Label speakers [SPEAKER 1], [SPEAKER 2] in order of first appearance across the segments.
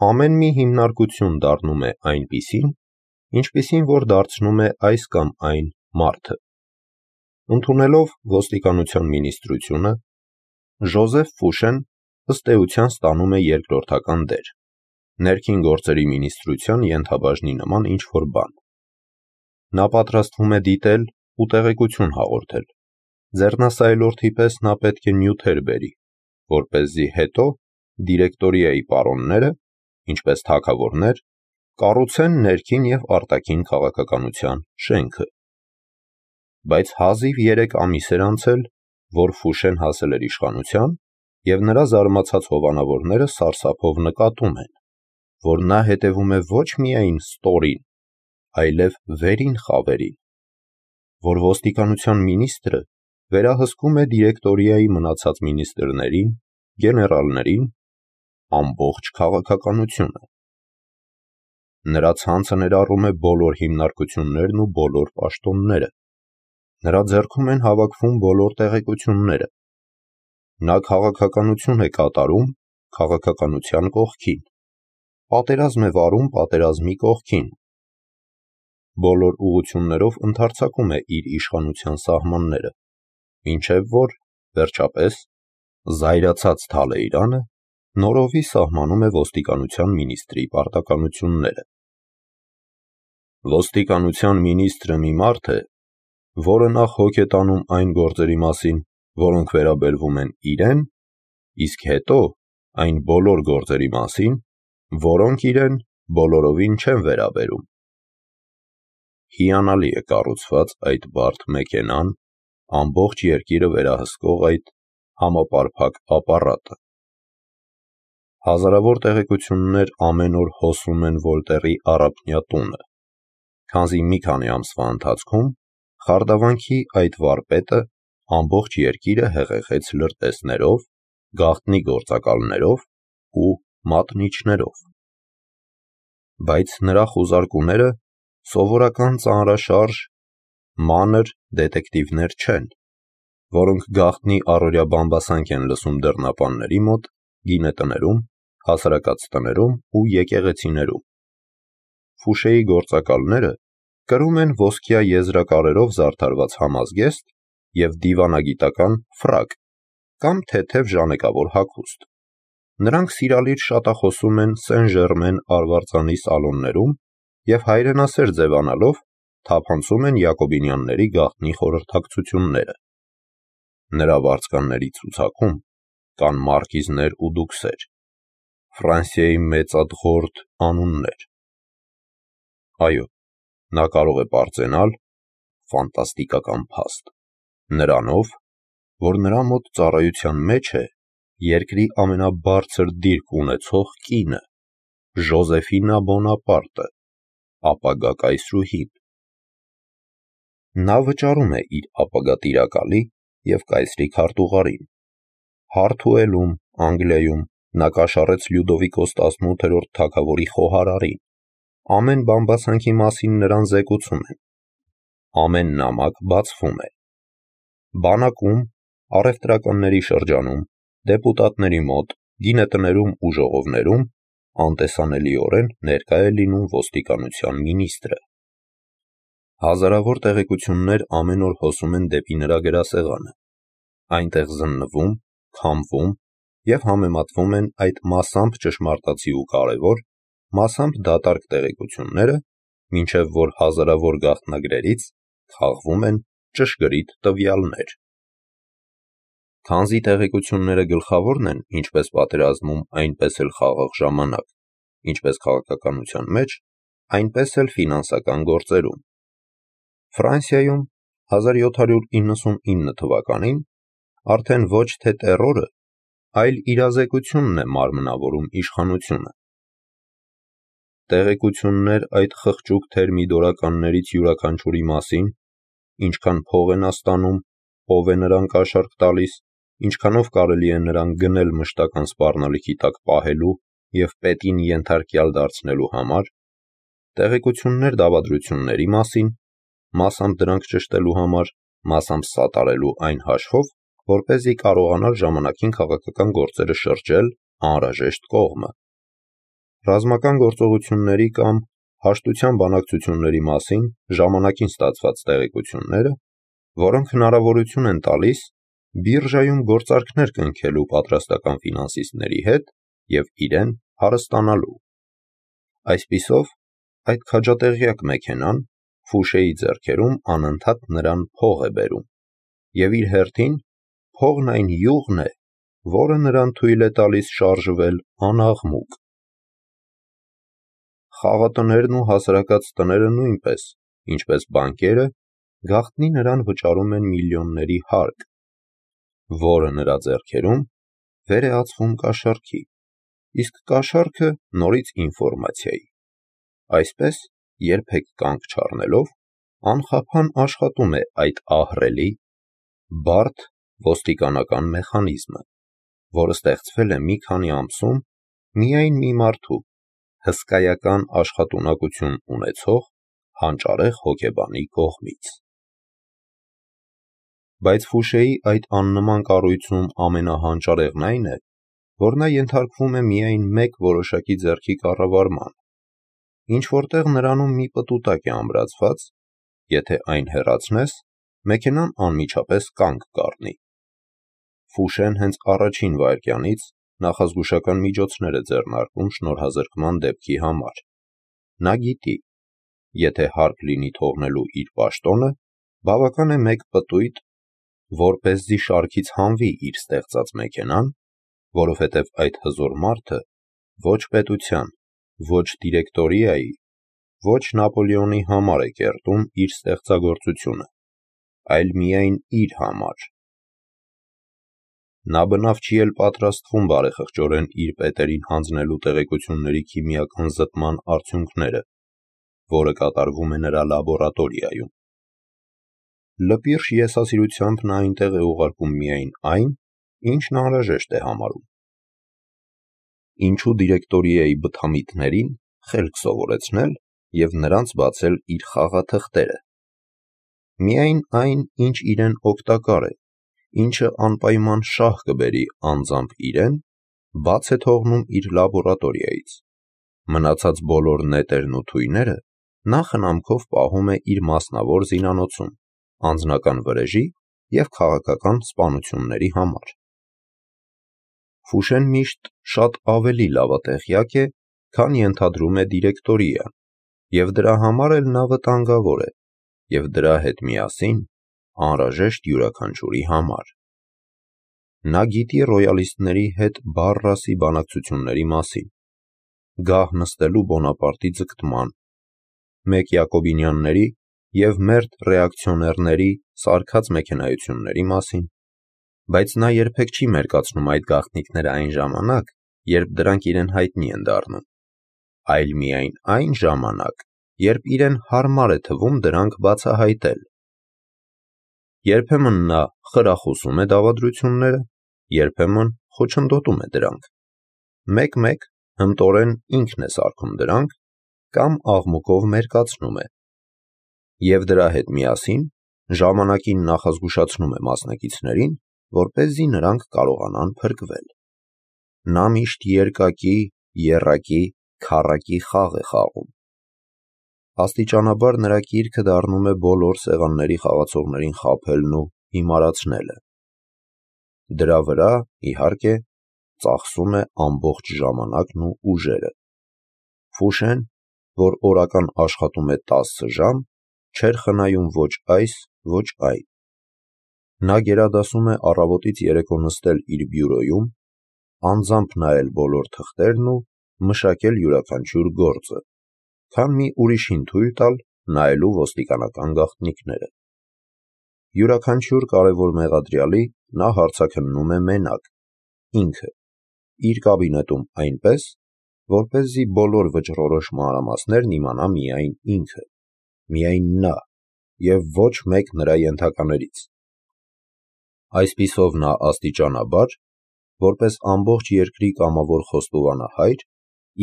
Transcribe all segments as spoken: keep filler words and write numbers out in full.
[SPEAKER 1] ամեն մի հիմնարկություն դառնում է այնպիսին, ինչպիսին որ դարձնում է այս կամ այն մարդը։ Ընդունելով ոստիկանության մինիստրությունը, Ժոզեֆ Ֆուշեն ըստ էության ստանում է երկրորդական դեր, ներքին գործերի մինիստրության ենթաբաժնի նման ինչ-որ բան։ Նա պատրաստվում է դիտել ու տեղեկություն հաղորդել։ Ձեռնասայլորդի պես նա պետք է նյութեր բերի, որպեսզի հետո դիրեկտորիայի պարոնները, ինչպես թագավորներ, կառուցեն ներքին և արտաքին քաղաքականության շենքը։ Բայց հազիվ երեք ամիս էր անցել, որ Ֆուշեն հասել էր իշխանության, և նրա զարմացած հովանավորները սարսափով նկատում են, որ նա հետևում է ոչ միայն ստորին, այլև վերին խավերին, որ ոստիկանության մինիստրը վերահսկում է դիրեկտորիայի մնացած մինիստրներին, գեներալներին, ամբողջ քաղաքականությունը։ Նրա ցանցը ներառում է բոլոր հիմնարկություններն ու բոլոր պաշտոնները։ Նրա ձեռքում են հավաքվում բոլոր տեղեկությունները։ Նա քաղաքականություն է կատարում քաղաքականության կողքին, պատերազմ է վարում պատերազմի կողքին, բոլոր ուղղություններով ընդարձակում է իր իշխանության սահմանները, մինչև որ, վերջապես, զայրացած Թալեյրանը նորովի սահմանում է ոստիկանության մինիստրի պարտականությունները։ Ոստիկանության մինիստրը մի մարդ է, որը նախ հոգ է տանում այն գործերի մասին, որոնք վերաբերվում են իրեն, իսկ հետո այն բոլոր գործերի մասին, որոնք իրեն բոլորովին չեն վերաբերում։ Հիանալի է կառուցված այդ բարդ մեքենան, ամբողջ երկիրը վերահսկող այդ համապարփակ ապարատը։ Հազարավոր տեղեկություններ ամեն օր հոսում են Վոլտերի առափնյա տունը, քանզի մի քանի ամսվա ընթացքում խարդավանքի այդ վարպետը ամբողջ երկիրը հեղեղեց լրտեսներով, գաղտնի գործակալներով ու մատնիչներով։ Բայց նրա խուզարկուները սովորական ծանրաշարժ, մանր դետեկտիվներ չեն, որոնք գաղտնի առօրյա բամբասանք են լսում դռնապանների մոտ, գինետներում, հասարակած տներում ու եկեղեցիներում։ Ֆուշեի գործակալները կրում են ոսկյա եզրակարերով զարդարված համազգեստ և դիվանագիտական ֆրակ կամ թեթև ժանեկավոր հագուստ։ Նրանք սիրալիր շատախոսում են Սեն-Ժերմեն արվարձանի սալոններում և հայրենասեր ձևանալով թափանցում են յակոբինյանների գաղտնի խորհրդակցությունները։ Նրա վարձկանների ցուցակում կան մարկիզներ ու դուքսեր, Ֆրանսիայի մեծադղորդ անուններ։ Այո, նա կարող է պարծենալ ֆանտաստիկական փաստ, նրանով, որ նրա մոտ ծառայության մեջ է երկրի ամենաբարձր դիրք ունեցող կինը՝ Ժոզեֆինա Բոնապարտը, ապագա կայսրուհին։ Նա վճարում է իր ապագա տիրակալի և կայսրի քարտուղարին։ Հարթուելում, Անգլիայում նա կաշառեց Լյուդովիկոս տասնութերորդ թագավորի խոհարարին, ամեն բամբասանքի մասին նրան զեկուցում են, ամեն նամակ բացվում է։ Բանակում, առևտրականների շրջանում, դեպուտատների մոտ, գինետներում ու ժողովներում անտեսանելիորեն ներկա է լինում ոստիկանության մինիստրը։ Հազարավոր տեղեկություններ ամեն օր հոսում են դեպի նրա գրասեղանը, այնտեղ զննվում, քամվում և համեմատվում են այդ մասամբ ճշմարտացի ու կարևոր, մասամբ դատարկ տեղեկությունները, մինչև որ հազարավոր գաղտնագրերից քաղվում են ճշգրիտ տվյալներ։ Քանզի տեղեկությունները գլխավորն են ինչպես պատերազմում, այնպես էլ խաղաղ ժամանակ, ինչպես քաղաքականության մեջ, այնպես էլ ֆինանսական գործերում։ Ֆրանսիայում հազար յոթ հարյուր իննսունինը թվականին արդեն ոչ թե տեռորը, այլ իրազեկությունն է մարմնավորում իշխանությունը։ Տեղեկություններ այդ խղճուկ թերմիդորականներից յուրաքանչյուրի մասին, ինչքան փող են նա ստանում, ով է նրան կաշառք տալիս, ինչքանով կարելի է նրան գնել մշտական սպառնալիքի տակ պահելու և պետին ենթարկյալ դարձնելու համար, տեղեկություններ դավադրությունների մասին, մասամբ դրանք ճշտելու համար, մասամբ սատարելու այն հաշվով, որպեսզի կարողանար ժամանակին քաղաքական գործերը շրջել անհրաժեշտ կողմը։ ռազմական գործողությունների կամ հաշտության բանակցությունների մասին ժամանակին ստացված տեղեկությունները, որոնք հնարավորություն են տալիս բիրժայում գործարքներ կնքելու պատրաստական ֆինանսիստների հետ և իրեն հարստանալու։ Այսպիսով, այդ քաջատեղյակ մեքենան Ֆուշեի ձեռքերում անընդհատ նրան փող է բերում, և իր հերթին փողն այն յուղն է, որը նրան թույլ է տալիս շարժվել անաղմուկ։ Խաղատներն ու հասարակած տները նույնպես, ինչպես բանկերը, գաղտնի նրան վճարում են միլիոնների հարկ, որը նրա ձեռքերում վեր է ածվում կաշառքի, իսկ կաշառքը նորից ինֆորմացիայի։ Այսպես, երբեք կանգ չառնելով, անխափան աշխատում է այդ ահռելի, բարդ ոստիկանական մեխանիզմը, որը ստեղծվել է մի քանի ամսում միայն մի մարդու՝ հսկայական աշխատունակություն ունեցող հանճարեղ հոգեբանի կողմից։ Բայց Ֆուշեի այդ աննման կառույցում ամենահանճարեղն այն է, որ նա ենթարկվում է միայն մեկ որոշակի ձեռքի կառավարման, ինչ-որտեղ նրանում մի պտուտակ է ամրացված, եթե այն հեռացնես, մեքենան անմիջապես կանգ կառնի։ Ֆուշեն հենց առաջին վայրկյանից նախազգուշական միջոցներ է ձեռնարկում շնորհազրկման դեպքի համար։ Նա գիտի, եթե հարկ լինի թողնելու իր պաշտոնը, բավական է մեկ պտույտ, որպեսզի շարքից հանվի իր ստեղծած մեքենան, որովհետև այդ հզոր մարդը ոչ պետության, ոչ դիրեկտորիայի, ոչ Նապոլեոնի համար է կերտում իր ստեղծագործությունը, այլ միայն իր համար։ Նա բնավ չի էլ պատրաստվում բարեխղճորեն իր պետերին հանձնելու տեղեկությունների քիմիական զտման արդյունքները, որը կատարվում է նրա լաբորատորիայում։ Լպիրշ եսասիրությամբ նա այնտեղ է ուղարկում միայն այն, ինչն անհրաժեշտ է համարում։ Ինչու դիրեկտորիայի բթամիտներին խելք սովորեցնել և նրանց բացել իր խաղաթղթերը։ Միայն այն, ինչ իրեն օգտակար է, ինչը անպայման շահ կբերի անձամբ իրեն, բաց է թողնում իր լաբորատորիայից։ Մնացած բոլոր նետերն ու թույները նա խնամքով պահում է իր մասնավոր զինանոցում, անձնական վրեժի և քաղաքական սպանությունների համար։ Ֆուշեն միշտ շատ ավելի լավատեղյակ է, քան ենթադրում է դիրեկտորիան, և դրա համար էլ նա վտանգավոր է, և դրա հետ միասին անհրաժեշտ յուրաքանչյուրի համար։ Նա գիտի ռոյալիստների հետ բառ-ռասի բանակցությունների մասին, գահ նստելու Բոնապարտի ձգտման, մեկ յակոբինյանների և մերդ ռեակցիոներների սարքած մեքենայությունների մասին, բայց նա երբեք չի մերկացնում այդ գաղտնիքները այն ժամանակ, երբ դրանք իրեն հայտնի են դառնում, այլ միայն այն ժամանակ, երբ իրեն հարմար է թվում դրանք բացահայտել։ Երբեմն նա խրախուսում է դավադրությունները, երբեմն խոչընդոտում է դրանք, մեկ-մեկ հմտորեն ինքն է սարքում դրանք կամ աղմուկով մերկացնում է, և դրա հետ միասին ժամանակին նախազգուշացնում է մասնակիցներին, որպեսզի նրանք կարողանան փրկվել։ Նա միշտ երկակի, եռակի, քառակի խաղ է խաղում։ Աստիճանաբար նրա կիրքը դառնում է բոլոր սեղանների խաղացողներին խաբելն ու հիմարացնելը։ Դրա վրա, իհարկե, ծախսում է ամբողջ ժամանակն ու ուժերը։ Ֆուշեն, որ օրական աշխատում է տասը ժամ, չէր խնայում ոչ այս, ոչ այն։ Նա գերադասում է առավոտից երեկո նստել իր բյուրոյում, անձամբ նայել բոլոր թղթերն ու մշակել յուրաքանչյուր գործը, քան մի ուրիշին թույլ տալ նայելու ոստիկանական գաղտնիքները։ Յուրաքանչյուր կարևոր մեղադրյալի նա հարցաքննում է մենակ, ինքը, իր կաբինետում այնպես, որպեսզի բոլոր վճռորոշ մանրամասներն իմանա միայն ինքը, միայն նա և ոչ մեկ նրա ենթականերից։ Այսպիսով նա աստիճանաբար, որպես ամբողջ երկրի կամավոր խոստովանահայր,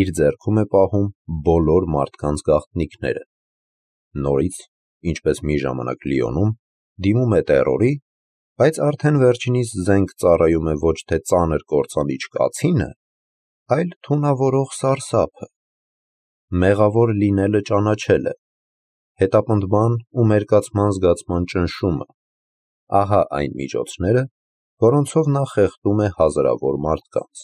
[SPEAKER 1] իր ձեռքում է պահում բոլոր մարդկանց գաղտնիքները։ Նորից, ինչպես մի ժամանակ Լիոնում, դիմում է տերորի, բայց արդեն վերջինիս զենք ծառայում է ոչ թե ծանր կործանիչ կացինը, այլ թունավորող սարսափը։ Մեղավոր լինելը ճանաչելը, հետապնդման ու մերկացման զգացման ճնշումը, ահա այն միջոցները, որոնցով նա խեղդում է հազարավոր մարդկանց։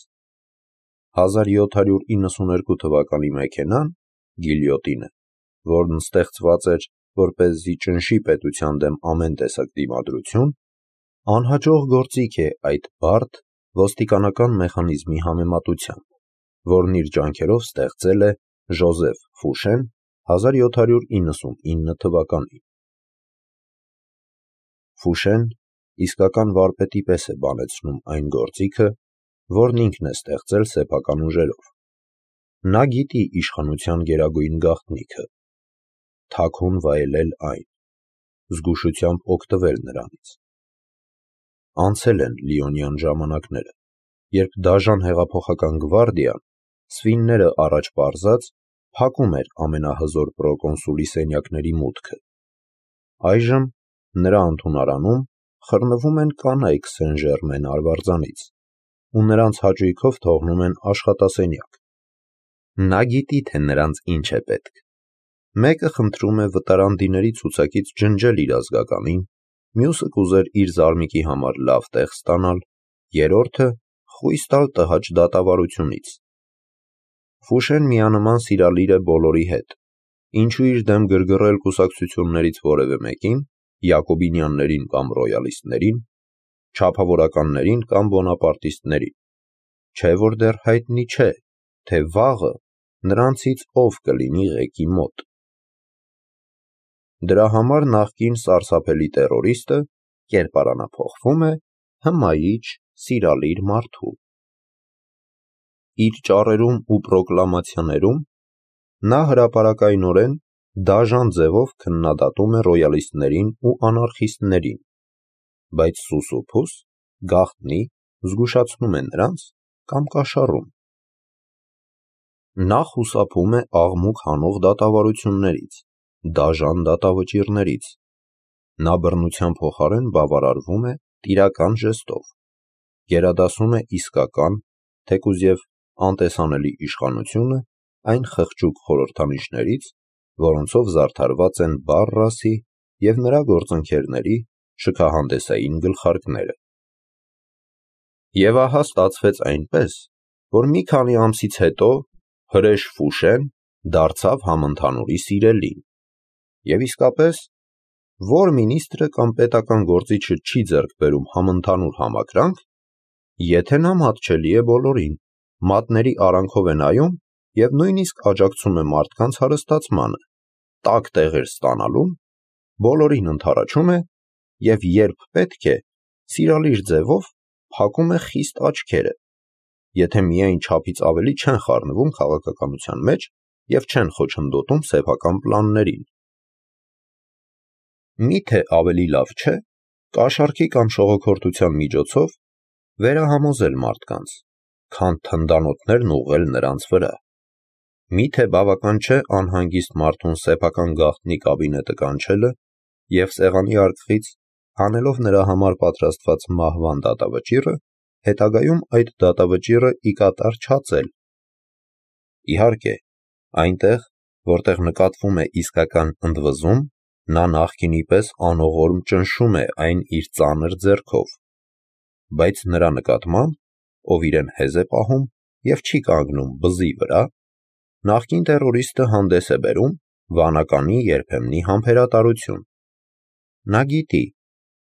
[SPEAKER 1] հազար յոթ հարյուր իննսուներկու թվականի մեքենան, գիլյոտինը, որն ստեղծված էր, որպեսզի ճնշի պետության դեմ ամեն տեսակ դիմադրություն, անհաջող գործիք է այդ բարդ ոստիկանական մեխանիզմի համեմատությամբ, որն իր ջանքերով ստեղծել է Ժոզեֆ Ֆուշեն հազար յոթ հարյուր իննսունինը թվականին։ Ֆուշեն իսկական վարպետի պես է բանեցնում այն գործիքը, որն ինքն է ստեղծել սեփական ուժերով։ Նա գիտի իշխանության գերագույն գաղտնիքը՝ թաքուն վայելել այն, զգուշությամբ օգտվել նրանից։ Անցել են լիոնյան ժամանակները, երբ դաժան հեղափոխական գվարդիան, սվինները առաջ պարզած, փակում էր ամենահզոր պրոկոնսուլի սենյակների մուտքը։ Այժմ նրա ընդունարանում խռնվում են կանայք Սեն-Ժերմեն արվարձանից ու նրանց հաճույքով թողնում են աշխատասենյակ։ Նա գիտի, թե նրանց ինչ է պետք։ Մեկը խնդրում է վտարանդիների ցուցակից ջնջել իր ազգականին, մյուսը կուզեր իր զարմիկի համար լավ տեղ ստանալ, երրորդը խույս տալ տհաճ դատավարությունից։ Ֆուշեն միանման սիրալիր է բոլորի հետ, ինչու իր դեմ գրգռել կուսակցություններից որևէ մեկին, յակոբինյաններին կամ ռոյալիստներին, չափավորականներին կամ բոնապարտիստներին, չէ որ դեռ հայտնի չէ, թե վաղը նրանցից ով կլինի ղեկի մոտ։ Դրա համար նախկին սարսափելի տերորիստը կերպարանափոխվում է հմայիչ, սիրալիր մարդու։ Իր ճառերում ու պրոկլամացիաներում նա հրապարակայնորեն դաժան ձևով քննադատում է ռոյալիստներին ու անարխիստներին, բայց սուսուփուս, գաղտնի, զգուշացնում է նրանց կամ կաշառում։ Նա խուսափում է աղմուկ հանող դատավարություններից, դաժան դատավճիռներից։ Նա բռնության փոխարեն բավարարվում է տիրական ժեստով, գերադասում է իսկական, թեկուզ և անտեսանելի իշխանությունը այն խղճուկ խորհրդանիշներից, որոնցով զարդարված են Բարրասի և նրա գործընկերների շքահանդեսային գլխարկները։ Եվ ահա ստացվեց այնպես, որ մի քանի ամսից հետո հրեշ Ֆուշեն դարձավ համընդհանուրի սիրելին։ Եվ իսկապես, որ մինիստրը կամ պետական գործիչը չի ձեռք բերում համընդհանուր համակրանք, եթե նա մատչելի է բոլորին, մատների արանքով է նայում և նույնիսկ աջակցում է մարդկանց հարստացմանը, տաք տեղեր ստանալուն, բոլորին ընդառաջում է և երբ պետք է, սիրալիր ձևով փակում է խիստ աչքերը, եթե միայն չափից ավելի չեն խառնվում քաղաքականության մեջ և չեն խոչընդոտում սեփական պլաններին։ Մի՞թե ավելի լավ չէ կաշառքի կամ շողոքորթության միջոցով վերահամոզել մարդկանց, քան թնդանոթներն ուղղել նրանց վրա։ Մի՞թե բավական չէ անհանգիստ մարդուն սեփական գաղտնի կաբինետը կանչելը և սեղանի արկղից, հանելով նրա համար պատրաստված մահվան դատավճիռը, հետագայում այդ դատավճիռը ի կատար չածել։ Իհարկե, այնտեղ, որտեղ նկատվում է իսկական ընդվզում, նա նախկինի պես անողորմ ճնշում է այն իր ծանր ձեռքով, բայց նրա նկատմամբ, ով իրեն հեզ է պահում և չի կանգնում բզի վրա, նախկին տերորիստը հանդես է բերում վանականի երբեմնի համբերատարություն։ Նա գիտի,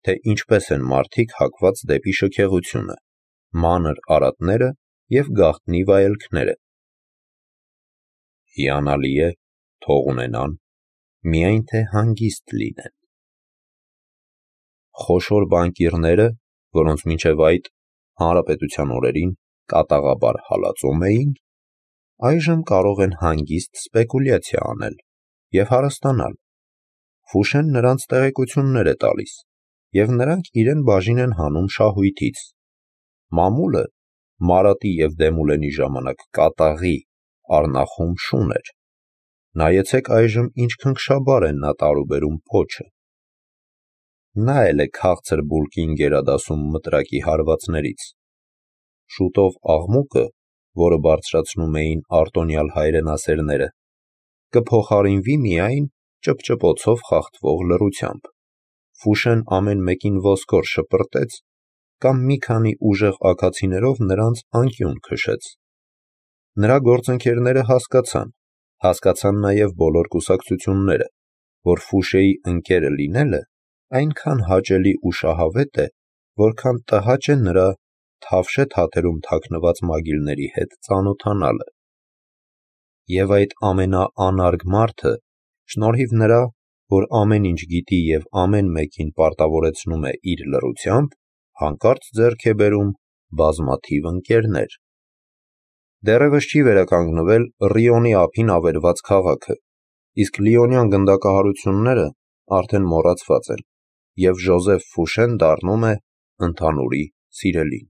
[SPEAKER 1] թե ինչպես են մարդիկ հակված դեպի շքեղությունը, մանր արատները և գաղտնի վայելքները։ Հիանալի է, թող ունենան, միայն թե հանգիստ լինեն։ Խոշոր բանկիրները, որոնց մինչև այդ հանրապետության օրերին կատաղաբար հալածում էին, այժմ կարող են հանգիստ սպեկուլյացիա անել և հարստանալ։ Ֆուշեն նրանց տեղեկություններ է տալիս, և նրանք իրեն բաժին են հանում շահույթից։ Մամուլը Մարատի և Դեմուլենի ժամանակ կատաղի առնախում շուն էր։ Նայեցեք այժմ ինչ քնքշաբար է նա տարուբերում պոչը։ Նա էլ է քաղցր բուլկին գերադասում մտրակի հարվածներից։ Շուտով աղմուկը որը բարձրացնում էին արտոնյալ հայրենասերները, կփոխարինվի միայն ճպճպոցով խախտվող լռությամբ։ Ֆուշեն ամեն մեկին ոսկոր շպրտեց կամ մի քանի ուժեղ աքացիներով նրանց անկյուն քշեց։ Նրա գործընկերները հասկացան, հասկացան նաև բոլոր կուսակցությունները, որ Ֆուշեի ընկերը լինելը այնքան հաճելի ու շահավետ է, որքան տհաճ է նրա թավշե թաթերում թաքնված մագիլների հետ ծանոթանալը։ Եվ այդ ամենաանարգ մարդը, շնորհիվ նրա, որ ամեն ինչ գիտի և ամեն մեկին պարտավորեցնում է իր լռությամբ, հանկարծ ձեռք է բերում բազմաթիվ ընկերներ։ Դեռևս չի վերականգնվել Ռիոնի ափին ավերված քաղաքը, իսկ լիոնյան գնդակահարությունները արդեն մոռացված են, և Ժոզեֆ Ֆուշեն դառնում է ընդհանուրի սիրելին։